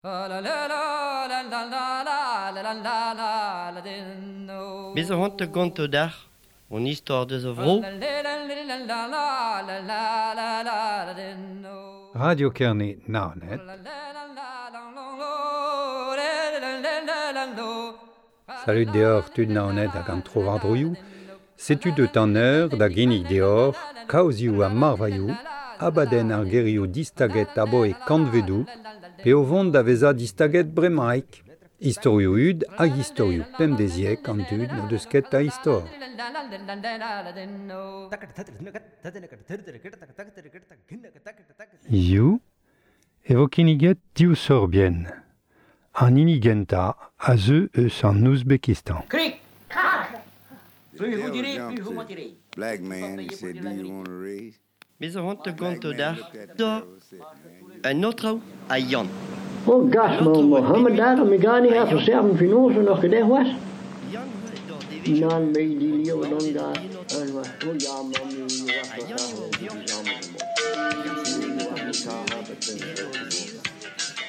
Bez a c'hoant da gontañ deoc'h hon istor deus a vro. Radio Kerne Naoned. Salud deoc'h tud Naoned hag an trowardroioù. Setu deut an eur da ginnig deoc'h kaozioù ha marvailhoù, abadenn ar gerioù distaget aboe kantvedoù, pe o vont da vezañ distaget bremaik. Istorioù hud hag istorioù pemdeziek an dud n'o deus ket a istor. Hiziv e vo kinniget div sorbienn. An hini gentañ a zeu eus an Ouzbekistan. Krik, krak! The devil jumped to black man and said, Do you want a raise? Bez a c'hoant da Black gontañ man deoc'h looked at the da devil and said, Man, you un aotrou ha Yann. Oh gas, An ma aotrou a Mohammed bep daar, mi ha gani ha Yann. verserven finoze nog gedeg was. Yann eo d'ar devezhioù Nan me die an leeuw dan maodez daar. enot En was, oh ja, man, mi was ha wat Yann daar, eo die Yann. samen Hag ar sennegez man. an Ja, eure het edo is ar zez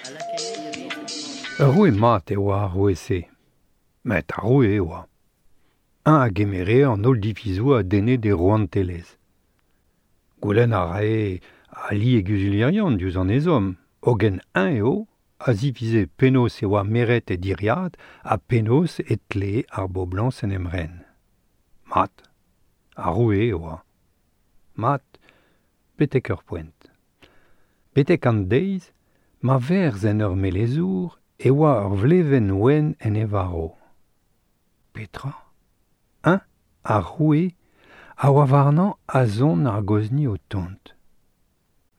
a lakae da vezañ. Ur roue mat e oa ar roue-se. Met ar roue e oa. Un a gemere an holl divizoù a denne d'e rouantelezh. Goulenn a rae ali e guzulierion diouzh an ezhomm, hogen eñ eo a zivize penaos e oa meret e diriad ha penaos e tlee ar boblañs en em ren. Mat, ar roue e oa. Mat, betek ur poent. Betek an deiz, ma verz en ur melezour e oa ur vlevenn wenn en e varv. Petra? Un, ar roue, a oa warnañ azon ar gozni o tont.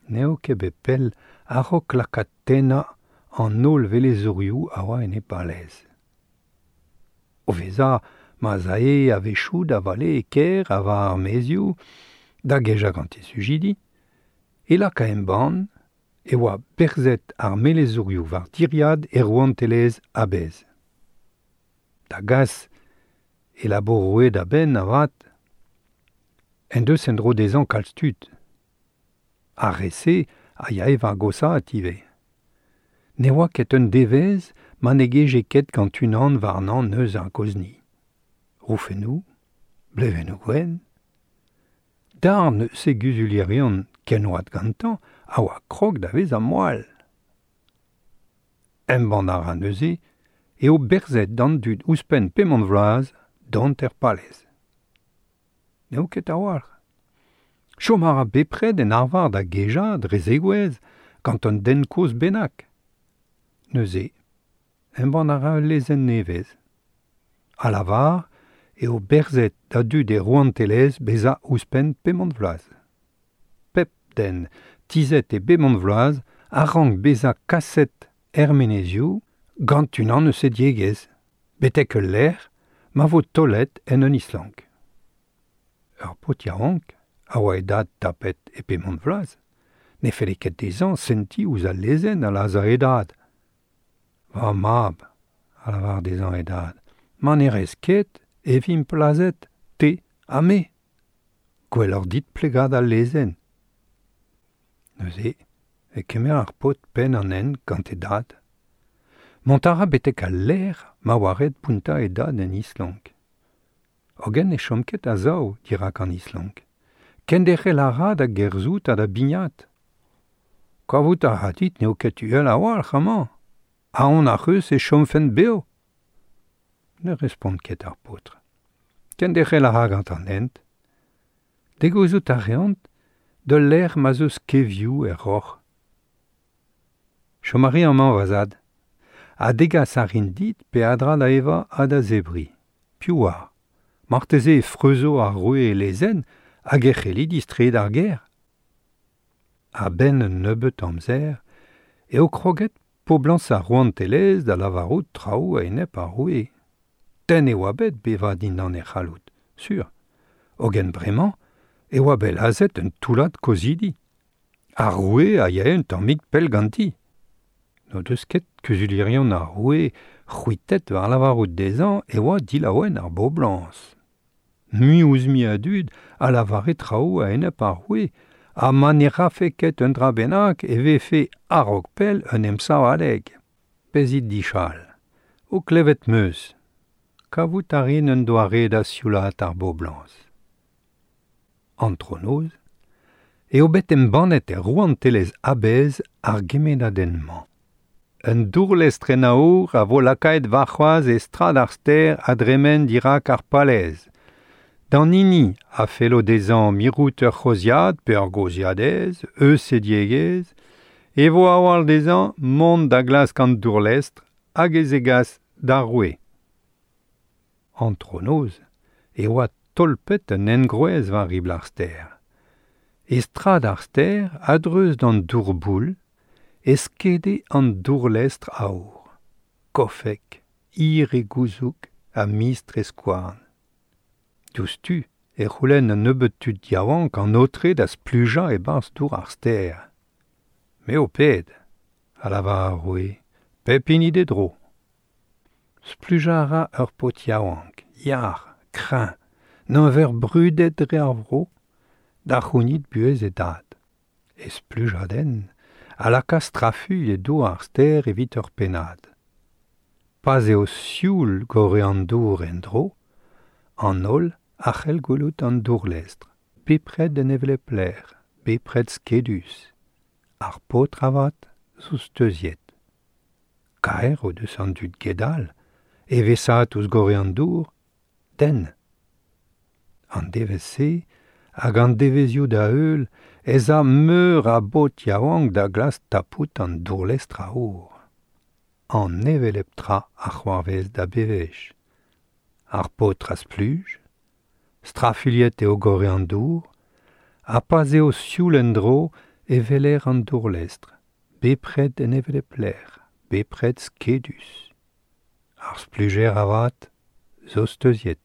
N'eo ket bet pell a-raok lakaat tennañ an holl velezourioù a oa en e palez. O vezañ ma'z ae a-wechoù da vale e kêr ha war ar maezioù, da gejañ gant e sujidi, e laka embann e oa berzet ar melezourioù war tiriad e rouantelezh a-bezh. Da gas e labour roue da benn avat, en deus en-dro dezhañ kalz tud. Ar re-se a yae war gosaat ivez. Ne oa ket un devezh ma ne geje ket gant unan warnañ neuz ar gozni. Roufennoù, blevennoù gwenn. Darn eus e guzulierion ken oad gantañ a oa krog da vezañ moal. Embann a ra neuze eo berzet d'an dud ouzhpenn pemont vloaz dont er palez. N'eo ket a-walc'h. Chom a ra bepred en arvar da gejañ dre zegouezh gant un den kozh bennak. Neuze, embann a ra ul lezenn nevez. A lavar eo berzet da dud e rouantelezh bezañ ouzhpenn pemont vloaz. Pep den tizhet e bemont vloaz a rank bezañ kaset er menezioù gant unan eus e diegezh, betek ul lec'h ma vo taolet en un islank. Ur paotr yaouank a oa e dad tapet e pemont vloaz, ne felle ket dezhañ sentiñ ouzh al lezenn a lazhañ e dad. Va mab, a lavar dezhañ e dad, ma ne rez ket e vimp lazhet, te ha me. Gwelloc'h dit plegañ d'al lezenn. Neuze e kemer ar paotr penn an hent gant e dad. Mont a ra betek al lec'h ma oa ret bountañ e dad en islank. Hogen ne chom ket a-sav dirak an islank. Kenderc'hel a ra da gerzhout ha da bignat. Kavout a ra dit n'eo ket uhel a-walc'h amañ. Aon ar c'heus e chomfen bev. Ne respont ket ar paotr. Kenderc'hel a ra gant an hent. Degouezhout a reont d'ul lec'h ma'z eus kevioù er roc'h. Chom a ri amañ va zad. Ha degas a rin dit peadra da evañ ha da zebriñ. Piv oar. Marteze e freuzo ar roue e lezenn hag e c'helli distreiñ d'ar gêr. A-benn un nebeut amzer eo kroget poblañs ar rouantelezh da lavarout traoù a-enep ar roue. Tenn e oa bet bevañ dindan e c'halloud, sur. Hogen bremañ e oa bet lazhet un toullad kozhidi. Ar roue a yae un tammig pell ganti. N'o deus ket kuzulierion ar roue c'hwitet war lavarout dezhañ e oa dilaouen ar boblañs. Mui ouzh mui a dud a lavare traoù a-enep ar roue, ha ma ne rafe ket un dra bennak e vefe a-raok pell un emsav adeg. Bezit dichal. O klevet 'm eus. Kavout a rin un doare da sioulaat ar boblañs. Antronoz eo bet embannet er rouantelezh a-bezh ar gemennadenn-mañ. Un dourlestr en aour a vo lakaet warc'hoazh e strad ar stêr a dremen dirak ar palez. D'an hini a fello dezhañ mirout ur c'hozhiad pe ur gozhiadez eus e diegezh e vo a-walc'h dezhañ mont da glask an dourlestr hag e zegas d'ar roue. Antronoz e oa tolpet un engroez war ribl ar stêr. E strad ar stêr, a-dreuz d'an dour-boull, e skede an dourlestr aour, kofek, hir e gouzoug ha mistr e skouarn. Diouzhtu e c'houlenn un nebeud tud yaouank an aotre da splujañ e-barzh dour ar stêr. Me ho ped, a lavar ar roue, pep hini d'e dro. Splujañ a ra ur paotr yaouank, yac'h, kreñv, n'anver brudet dre ar vro, da c'hounit buhez e dad. E splujadenn a laka strafuilh e dour ar stêr evit ur pennad. Pa'z eo sioul gorre an dour en-dro, an holl a c'hell gwelout an dourlestr, bepred en hevelep lec'h, bepred skedus. Ar paotr avat zo steuziet. Kaer o deus an dud gedal, eveshaat ouzh gorre an dour, den. An devezh-se hag an devezhioù da-heul ez a meur a baotr yaouank da glask tapout an dourlestr aour. An hevelep tra a c'hoarvez da bewech. Ar paotr a spluj, strafuilhet eo gorre an dour, ha pa'z eo sioul en-dro e weler an dourlestr, bepred en hevelep lec'h, bepred skedus. Ar splujer avat zo steuziet.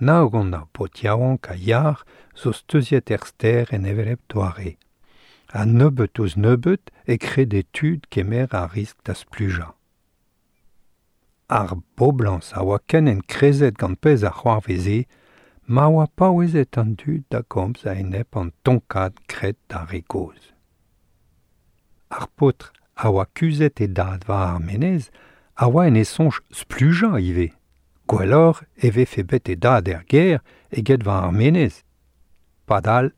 Nav gant ar paotr yaouank ha yac'h zo steuziet er stêr en hevelep doare. Ha nebeut ouzh nebeut e krede tud kemer ar riskl da splujañ. Ar boblañs a oa ken enkrezet gant pezh a c'hoarveze ma oa paouezet an dud da gomz a-enep an tonkad graet d'ar re gozh. Ar paotr a oa kuzhet e dad war ar menez a oa en e soñj splujañ ivez. Gwelloc'h e vefe bet e dad er gêr eget war ar menez. Padal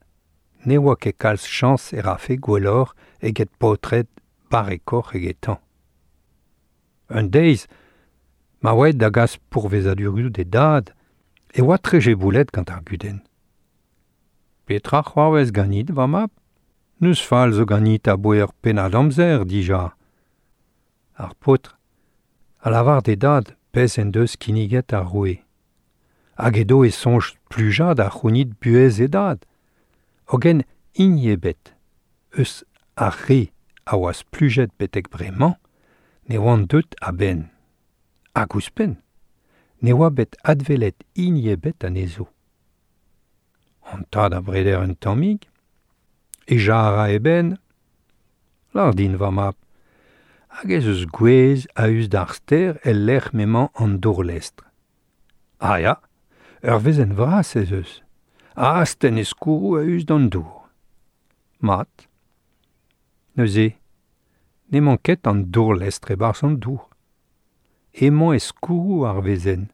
ne oa ket kalz chañs e rafe gwelloc'h eget paotred barrekoc'h egetañ. Un deiz, ma oa aet da gas pourvezadurioù d'e dad, e oa trejeboulet gant ar gudenn. Petra c'hoarvez ganit, va mab? N'eus fall zo ganit aboe ur pennad amzer dija. Ar paotr a lavar d'e dad pezh en deus kinniget ar roue. Hag edo e soñj splujañ da c'hounit buhez e dad. Hogen hini ebet eus ar re a oa splujet betek bremañ ne oant deut a-benn. Hag ouzhpenn, ne oa bet adwelet hini ebet anezho. An tad a breder un tammig, hejañ a ra e benn, Lâr din, va mab, hag ez eus gwez a-us d'ar stêr el lec'h m'emañ an dourlestr. Ah ya, ur wezenn vras ez eus, a astenn e skourroù a-us d'an dour. Mat. Neuze, n'emañ ket an dourlestr e-barzh an dour. Emañ e skourroù ar wezenn.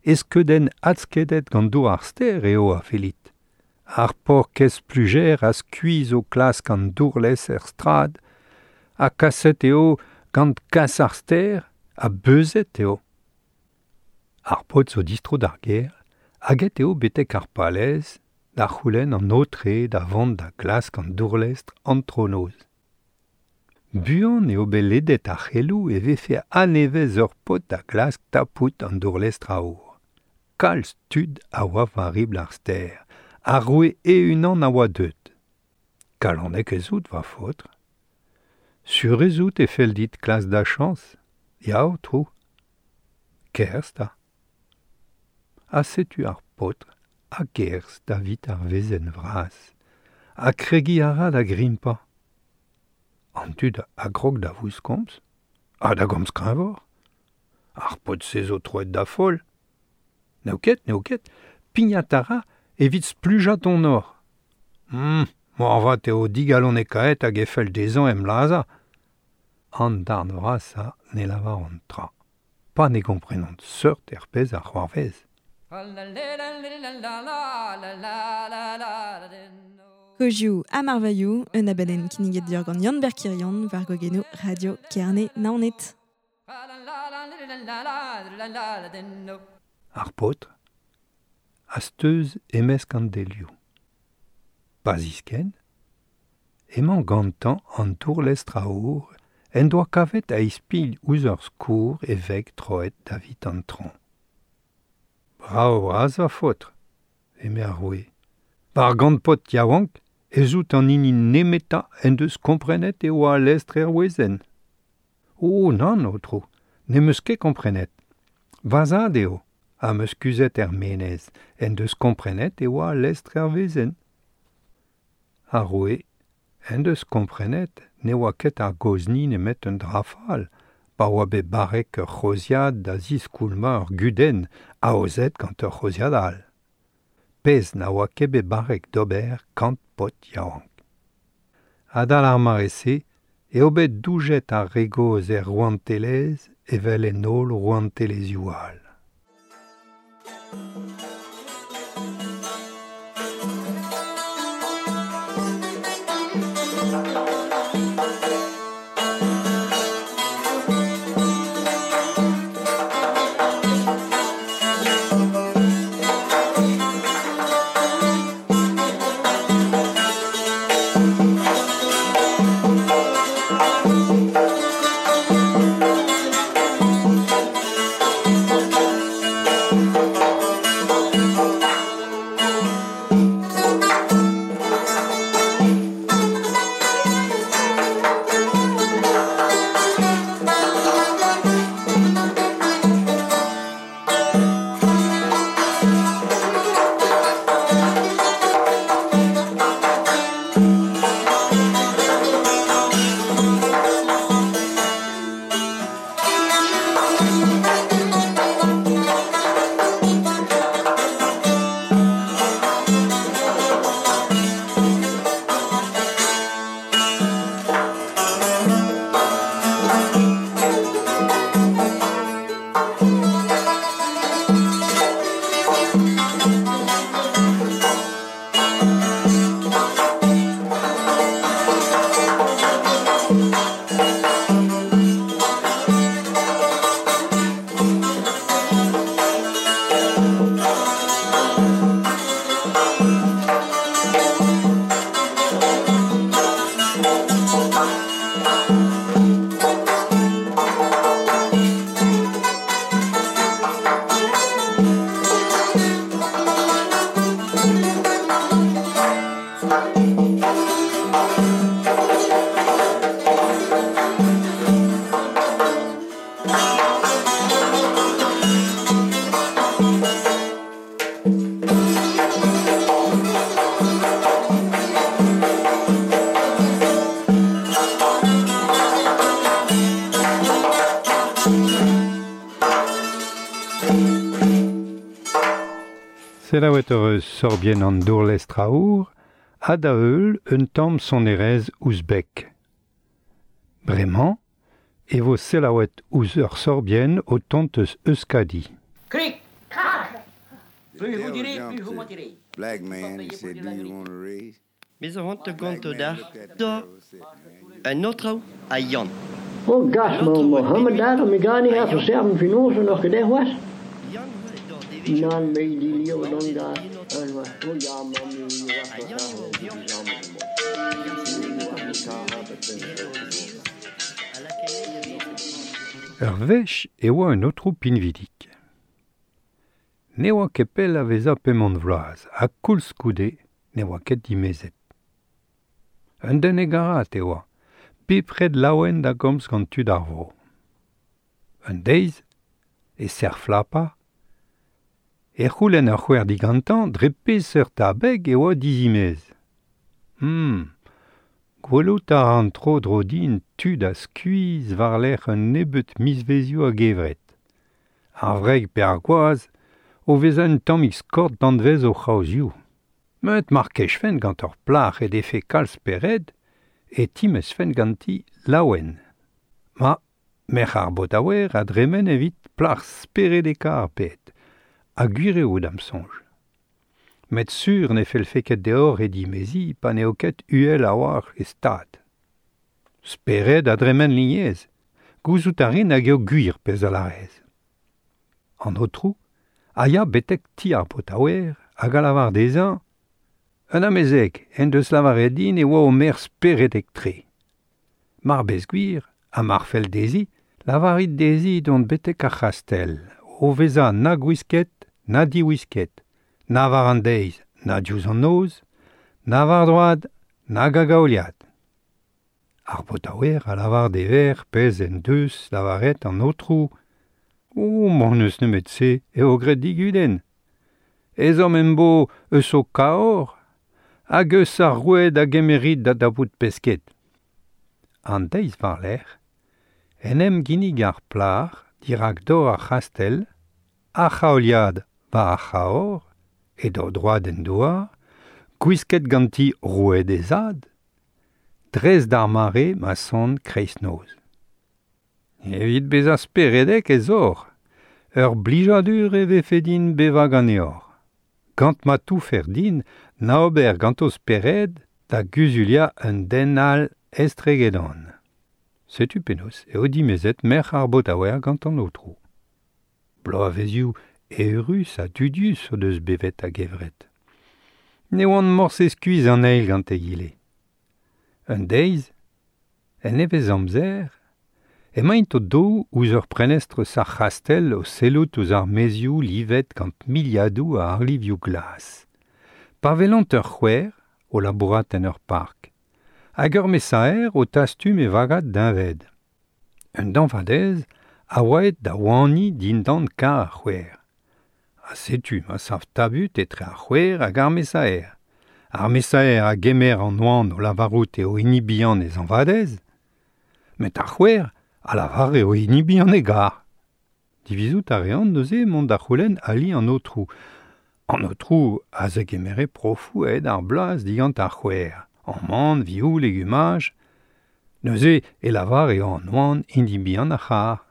E skeudenn adskedet gant dour ar stêr eo a fellit. Ar paourkaezh splujer a skuizh o klask an dourlez er strad, ha kaset eo gant kas ar stêr, ha beuzet eo. Ar paotr zo distro d'ar gêr, hag aet eo betek ar palez da c'houlenn an aotre da vont da glask an dourlestr antronoz. Buan eo bet ledet ar c'heloù e vefe a-nevez ur paotr da glask tapout an dourlestr aour. Kalz tud a oa war ribl ar stêr, ar roue e-unan a oa deuet. Kalonek ez out, va faotr. Sur ez out e fell dit klask da chañs ? Ya, aotrou. Kerzh 'ta. Ha setu ar paotr a gerzh davit ar wezenn vras, ha kregiñ a ra da grimpañ. An dud a grog da vouskomz, ha da gomz kreñvoc'h. Ar paotr-se zo troet da foll. N'eo ket, n'eo ket, pignat a ra evit splujañ donoc'h. Moarvat eo digalonekaet hag e fell dezhañ em lazhañ. An darn vrasa ne lavaront tra. Pa ne komprenont seurt er pezh ar c'hoarvez. Kozioù ha marvailhoù, un abadenn kinniget dior gant Yann Berkirion war gogeno Radio Kerne Naoned. Ar paotr a steuz e-mesk an delioù. Pa ziskenn, emañ gantañ an tourlestr aour en doa kavet a-ispilh ouzh ur skourr e veg troet davit an traoñ. Brav bras va faotr, eme ar roue. War gant paotr yaouank ez out an hini nemetañ en deus komprenet e oa al lestr er wezenn. Oh nann, aotrou, n'em eus ket komprenet. Va zad eo, am eus kuzhet er menez, en deus komprenet e oa al lestr er wezenn. Ar roue en deus komprenet ne oa ket ar gozhni nemet un dra fall, pa oa bet barrek ur c'hozhiad da ziskoulmañ ur gudenn aozet gant ur c'hozhiad all. Pezh na oa ket bet barrek d'ober kant paotr yaouank. Adal ar mare-se eo bet doujet ar re gozh er rouantelezh evel en holl rouantelezhioù all. Selaouet ur eus sorbien an dourlestr aour ha da heul un tamm sonerezh ouzbek. Bremañ e vo selaouet ouzh ur sorbien o tont eus Euskadi. Krik, krak. The devil jumped to black man and said, do you want a raise? Bez a ran te Black gant man dar looked at the da devil and said, man, you un autre a Yann. Oh gas, ma Mohammed daar, mi gani ha verserven finoze nog gedeg was. Yann dor Nan me di lio non da. Oh ja, mamma, Ur wech e oa un aotrou pinvidik. Ne oa ket pell a vezañ pemont vloaz, ha koulskoude ne oa ket dimezet. Un den hegarat e oa, bepred laouen da gomz gant tud ar vro. Un deiz, e serr flapa, e c'houlenn ur c'houer digantañ dre peseurt abeg e oa dizimez. Gwelout a ran tro dro din tud a skuizh war-lerc'h un nebeud mizvezioù a-gevret. Ar wreg pe ar gwaz o vezañ un tammig skort danvez o c'haozioù. Met mar kejfen gant ur plac'h e defe kalz spered e timezfen ganti laouen. Ma, merc'h ar botaouer a dremen evit plac'h speredekañ ar bed, ha gwir eo da'm soñj. Met sur ne fellfe ket deoc'h he dimeziñ pa n'eo ket uhel a-walc'h e stad. Spered a dremen lignez, gouzout a rin hag eo gwir pezh a lârez. An aotrou a ya betek ti ar botaouer hag a lavar dezhañ Un amezeg en deus lavaret din e oa o merc'h speredek-tre. Mar bez gwir, ha mar fell dezhi, lavarit dezhi dont betek ar c'hastell, o vezañ na gwisket, na diwisket, na war an deiz, na diouzh an noz, na war droad, nag a-gaoliad. Ar botaouer a lavar d'e verc'h pezh en deus lavaret an aotrou. O, ma n'eus nemet se, eo graet digudenn. Ezhomm em bo eus ho kaoc'h hag eus ar roued a gemerit da dapout pesked. An deiz war-lerc'h en em ginnig ar plac'h dirak dor ar c'hastell, ar c'haoliad war ar c'haoc'h, e daou droad en douar, gwisket ganti roued he zad, dres d'ar mare ma son kreiznoz. Evit bezañ speredek ez oc'h, ur blijadur e vefe din bevañ ganeoc'h. Gant ma toufer din na ober ganto spered da guzuliañ un den all estregedon. Setu penaos eo dimezet merc'h ar botaouer gant an aotrou. Bloavezioù eürus ha dudius o deus bevet a-gevret. Ne oant morse skuizh an eil gant egile. Un deiz, en nevez-amzer, emaint o-daou ouzh ur prenestr eus ar c'hastell o sellout ouzh ar maezioù livet gant miliadoù a arlivioù glas. Pa welont ur c'houer o labourat en ur park, hag ur mesaer o tastum e vagad deñved. Un dañvadez a oa aet da oaniñ dindan karr ar c'houer. Ha setu ma sav tabut etre ar c'houer hag ar mesaer. Ar mesaer a gemer an oan o lavarout eo hini bihan e zañvadez, met ar c'houer a lavar eo hini bihan e gar. Divizout a reont neuze mont da c'houlenn ali an aotrou. An aotrou a zegemere profoù aet ar bloaz digant ar c'houer, amann, vioù, legumaj. Neuze e lavar eo an oan hini bihan ar c'harr.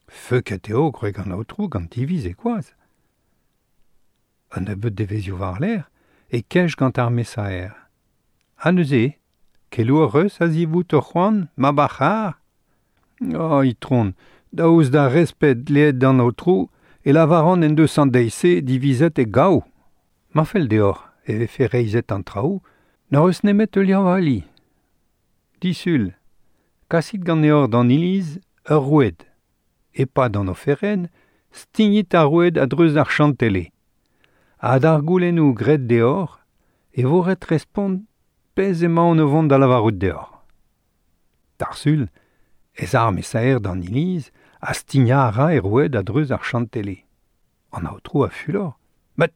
Feuket eo gwreg an aotrou gant diviz e gwaz. Un nebeud devezhioù war-lerc'h e kej gant ar mesaer. Ha neuze, keloù hoc'h eus a-zivout ho c'hoant, mab ar c'harr ? Oh, itron, daoust d'ar respet dleet d'an aotrou, e lavaran en deus an deiz-se divizet e gaou. Ma fell deoc'h e vefe reizhet an traoù, n'hoc'h eus nemet heuliañ va ali. Disul, kasit ganeoc'h d'an iliz ur roued. E-pad an oferenn, stignit ar roued a-dreuz ar chantele. Ha d'ar goulennoù graet deoc'h e vo ret respont pezh emaon o vont da lavarout deoc'h. D'ar Sul ez a ar mesaer d'an iliz ha stignañ a ra e roued a-dreuz ar chantele. An aotrou a fulor. Met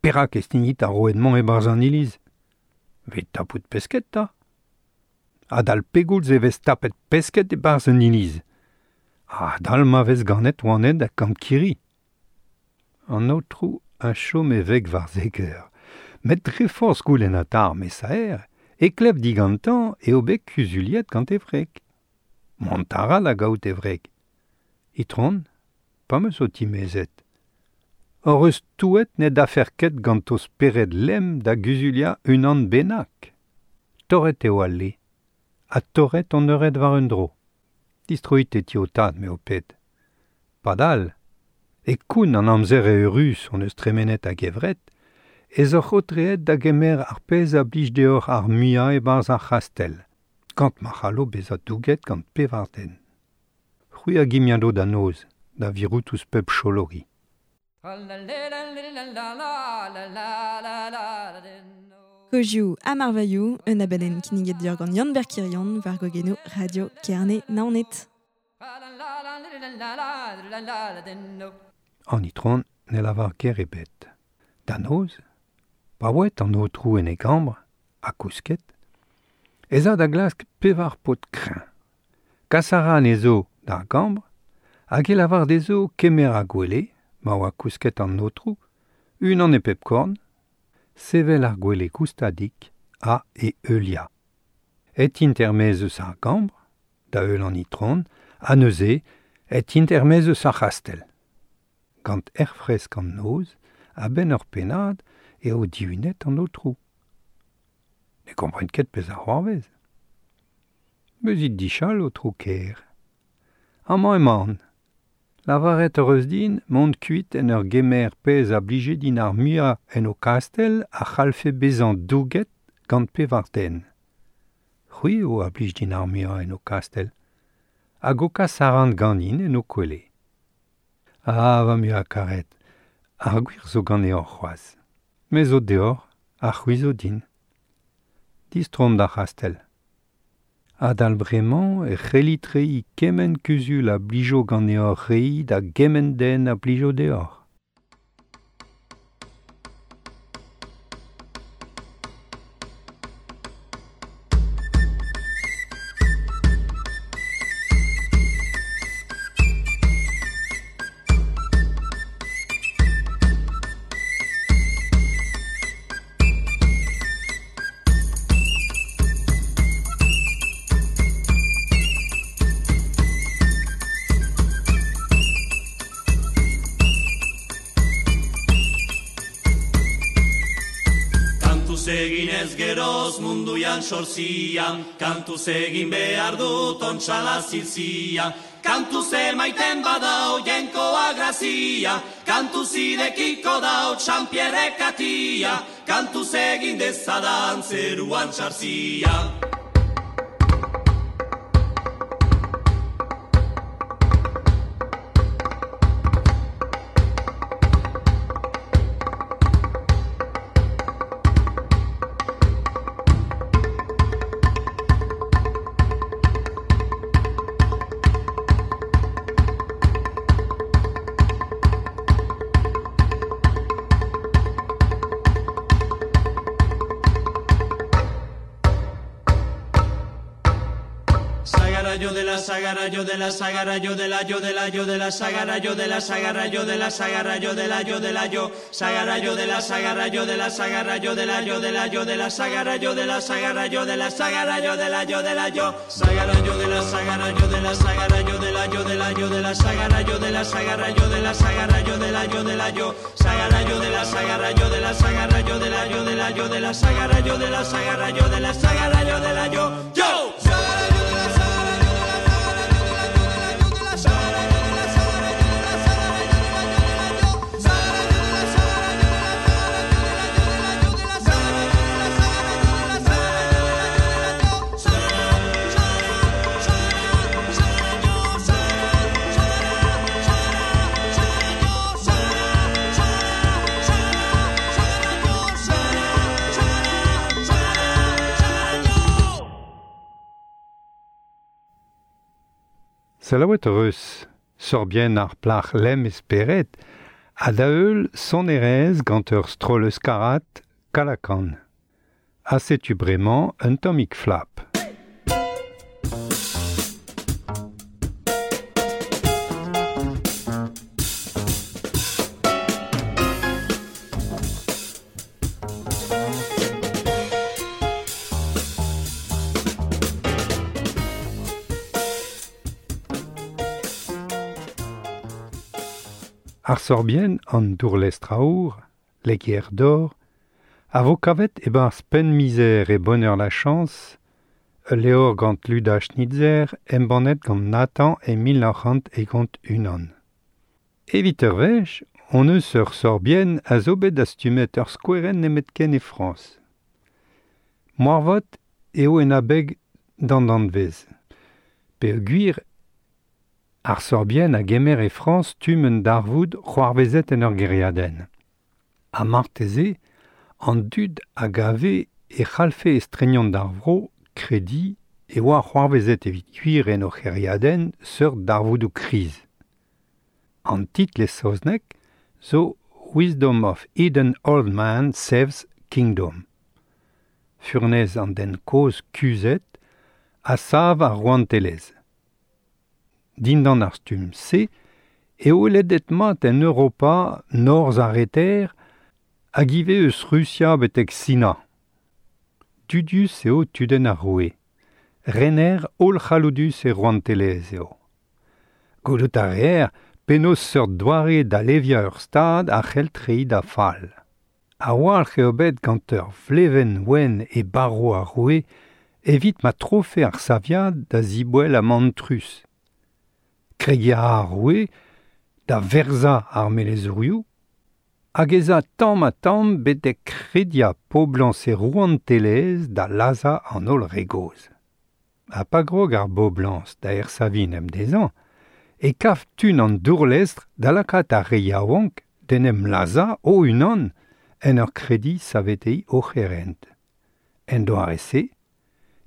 perak e stignit ar roued-mañ e-barzh an iliz ? Evit tapout pesked 'ta. Adal pegoulz e vez tapet pesked e-barzh un iliz ? Adal ma vez ganet oaned ha kankiri. An aotrou a chom e veg war zek eur. Met dre forzh goulennata ar mesaer e klev digantañ eo bet kuzuliet gant e wreg. Mont a ra da gaout e wreg. Itron, pa 'm eus ho timezet, hoc'h eus touet ne dafec'h ket gant ho spered lemm da guzuliañ unan bennak. Torret eo al le, ha torret hon eured war un dro. Distroit e ti ho tad, me ho ped. Padal, e koun an amzer eürus hon eus tremenet a-gevret, ez oc'h aotreet da gemer ar pezh a blij deoc'h ar muiañ e-barzh ar c'hastell, gant ma c'hallo bezañ douget gant pevar den. C'hwi a gimiado da noz, da virout ouzh pep cholori. Kozioù ha marvailhoù, un abadenn kinniget deoc'h gant Yann Berkirion war gogennoù Radio Kerne Naoned. An itron ne lavar ger ebet. Da noz, pa oa an aotrou en e gambr, ha kousket, ez a da glask pevar paotr kreñv. Kas a ra anezho d'ar gambr hag e lavar dezho kemer ar gwele, ma oa kousket an aotrou, unan e pep korn, sevel ar gwele goustadik ha e heuliañ. Aet int er-maez eus ar gambr, da heul an itron, ha neuze et int er-maez eus ar c'hastell. Gant aer fresk an noz, a-benn ur pennad eo dihunet an aotrou. Ne kompren ket pezh a c'hoarvez. Bezit dichal, aotrou ker. Amañ emaon. Lavaret hoc'h eus din mont kuit en ur gemer pezh a blije din ar muiañ en ho kastell a c'hallfe bezañ douget gant pevar den. C'hwi eo a blij din ar muiañ en ho kastell. Hag ho kas a ran ganin en ho kwele. Ah, va muiañ karet, ar gwir zo ganeoc'h c'hoazh. Me zo deoc'h ha c'hwi zo din. Distroomp d'ar c'hastell. Adal bremañ e c'hellit reiñ kement kuzul a blijo ganeoc'h reiñ da gement den a blijo deoc'h. Kantuz egin ez geroz munduan sorzian, kantuz egin behar dut ontxala zilzia, kantuz emaiten badau jainkoa grazia, kantuz irekiko dau Txanpierrek atia, kantuz egin dezadan zeruan txarzia. Sagara yo de la sagara yo de la sagara yo de la yo de la yo de la sagara yo de la sagara yo de la sagara yo de la yo de la yo sagara yo de la sagara yo de la sagara yo de la yo de la yo de la sagara yo de la sagara yo de la sagara yo de la yo de la yo sagara yo de la sagara yo de la sagara yo de la yo de la yo de la sagara yo de la sagara yo de la sagara yo de la yo de la yo sagara yo de la sagara yo de la sagara yo de la yo de la yo de la sagara yo de la sagara yo de la sagara yo de la yo yo sagara yo de la sagara yo de la sagara yo de la sagara yo de la sagara yo de la yo de la yo sagara yo de la sagara yo de la sagara yo de la sagara yo de la sagara yo de la sagara yo de la yo de la yo sagara sagara sagara sagara yo sagara sagara sagara yo sagara sagara sagara yo sagara sagara sagara yo. Selaouet eus, sorbienn ar plac'h lemm e spered, ha da heul sonerezh gant ur stroll euskarat Kalakan. Ha setu bremañ un tammig flap. Ar sorbienn an dourlestr aour, legier d'or, a vo kavet e-barzh Penn-Mizer e Bonheur la Chance, ul levr gant Luda Schnitzer embannet gant Nathan e 1951. Evit ur wech, on eus ur sorbienn a zo bet dastumet ur skouerenn nemetken e Frañs. Moarvat eo en abeg d'an danvez. Peogwir ar sorbienn a gemer e Frañs stumm un darvoud c'hoarvezet en ur gêriadenn. Ha marteze, an dud a gave e c'hallfe estrenien d'ar vro krediñ e oa c'hoarvezet evit gwir en o c'hêriadenn seurt darvoudoù kriz. An titl e saozneg zo Wisdom of Eden Old Man Saves Kingdom. Furnez an den kozh kuzhet a sav ar rouantelezh. Dindan ar stumm se eo ledet mat en Europa norzh ar reter hag ivez eus Rusia betek Sina. Dudius eo tudenn ar roue. Rener hollc'halloudus e rouantelezh eo. Gwelout a reer penaos seurt doare da leviañ ur stad a c'hell treiñ da fall. A-walc'h eo bet gant ur vlevenn wenn e barv ar roue evit ma trofe ar saviad da ziboell ha mantrus. Kregiñ a ra ar roue da verzañ ar melezourioù hag ez a tamm-ha-tamm betek rediañ poblañs e rouantelezh da lazhañ an holl re gozh. Ha pa grog ar boblañs da ersaviñ en em dezhañ e kav tun an dourlestr da lakaat ar re yaouank d'en em lazhañ o-unan en ur krediñ saveteiñ o c'herent. En doare-se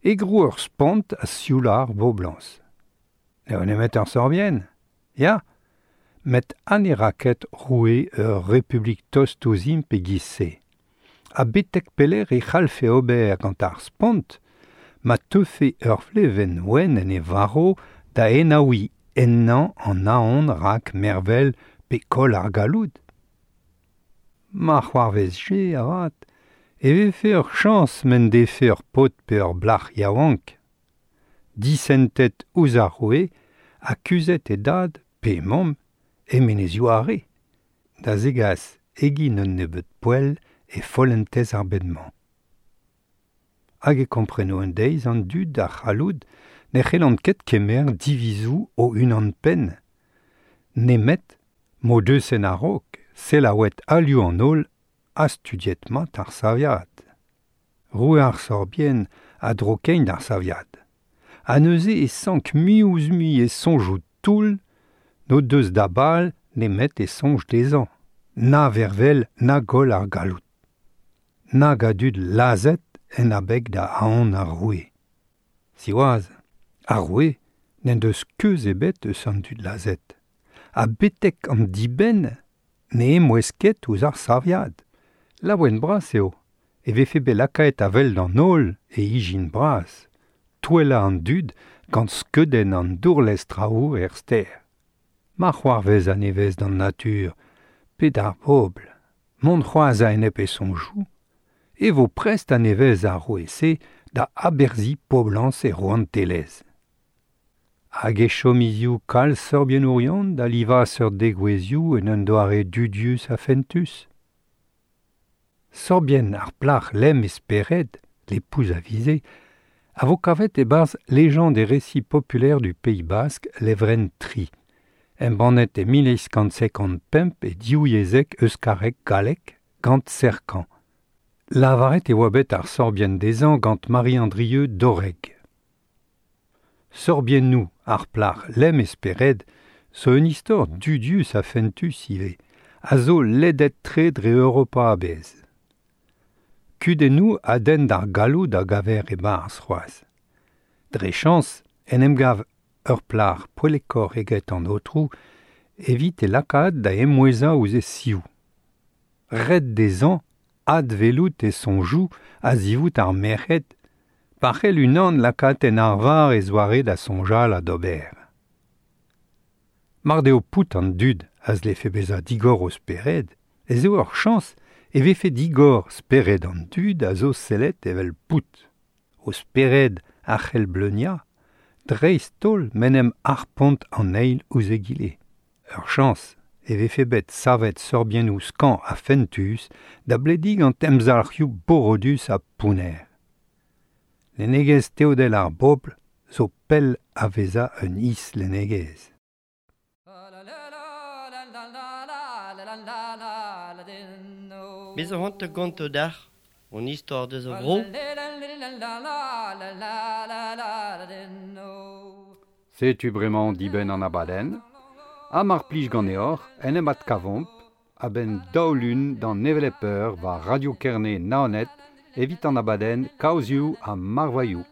e grou ur spont a sioula ar boblañs. N'eo nemet ur sorbienn, ya, met ha ne ra ket roue ur republik tost ouzhimp e-giz-se. Ha betek pelec'h e c'hallfe ober gant ar spont ma teufe ur vlevenn wenn en e varv da enaouiñ ennañ an aon rak mervel pe koll ar galloud. Ma c'hoarvezje avat e vefe ur chañs m'en defe ur paotr pe ur plac'h yaouank. Disentet ouzh ar roue ha kuzhet e dad pe e mamm e Menezioù Are, da zegas egin un nebeud poell e follentez ar bed-mañ. Hag e kompreno un deiz an dud a c'halloud ne c'hellont ket kemer divizoù o-unan-penn, nemet m'o deus en a-raok selaouet alioù an holl ha studiet mat ar saviad. Roue ar sorbienn a dro kein d'ar saviad. Ha neuze e sank mui-ouzh-mui e soñjoù toull n'o deus da bal nemet e soñj dezhañ, na vervel na goll ar galloud. Nag a dud lazhet en abeg da aon ar roue. Siwazh, ar roue n'en deus keuz ebet eus an dud lazhet. Ha betek an dibenn ne emouez ket ouzh ar saviad. Laouen-bras eo e vefe bet lakaet a-wel d'an holl e ijin bras, touellañ an dud gant skeudenn an dourlestr aour er stêr. Ma c'hoarvez a-nevez d'an natur pe d'ar bobl mont c'hoazh a-enep e soñjoù, e vo prest a-nevez ar roue-se da aberzhiñ poblañs e rouantelezh. Hag e chom hiziv kalz sorbiennourion da livañ seurt degouezhioù en un doare dudius ha fentus. Sorbienn ar plac'h lemm e spered, l'épouse avisée, a vo kavet e-barzh Légende et récits populaires du Pays Basque levrenn tri, embannet e 1855 e div yezhek euskarek-gallek gant Sercant. Lavaret e oa bet ar sorbienn dezhañ gant Marie Andrieux Doreg. Sorbiennoù ar plac'h lemm e spered zo un istor dudius ha fentus ivez, a zo ledet-tre dre Europa a-bezh. Kudennoù a denn d'ar galloud a gaver e-barzh c'hoazh. Dre chañs en em gav ur plac'h poellekoc'h eget an aotrou evit e lakaat da emouezañ ouzh e sioù. Ret dezhañ adwelout e soñjoù a-zivout ar merc'hed pa c'hell unan lakaat en arvar e zoare da soñjal ha d'ober. Mar deo pout an dud a zlefe bezañ digor o spered ez eo ur chañs e vefe digor spered an dud a zo sellet evel pout. O spered a c'hell bleuniañ, dreist-holl m'en em harpont an eil ouzh egile. Ur chañs e vefe bet savet sorbiennoù skañv ha fentus da blediñ gant emzalc'hioù borodus ha pounner. Lennegezh teodel ar bobl zo pell a vezañ un islennegezh. Me zo c'hoant da gontañ deoc'h hon istor deus ar vro. Setu bremañ dibenn an abadenn. Ha mar plij ganeoc'h en em adkavomp a-benn daou lun d'an hevelep eur war Radio Kerne Naoned evit an abadenn Kaozioù ha Marvailhoù.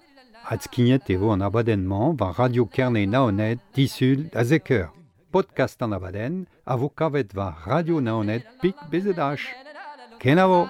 Adskignet e vo an abadenn-mañ war Radio Kerne Naoned disul da zek eur. Podcast an abadenn a vo kavet war Radio Naoned pik BZH. Kenavo!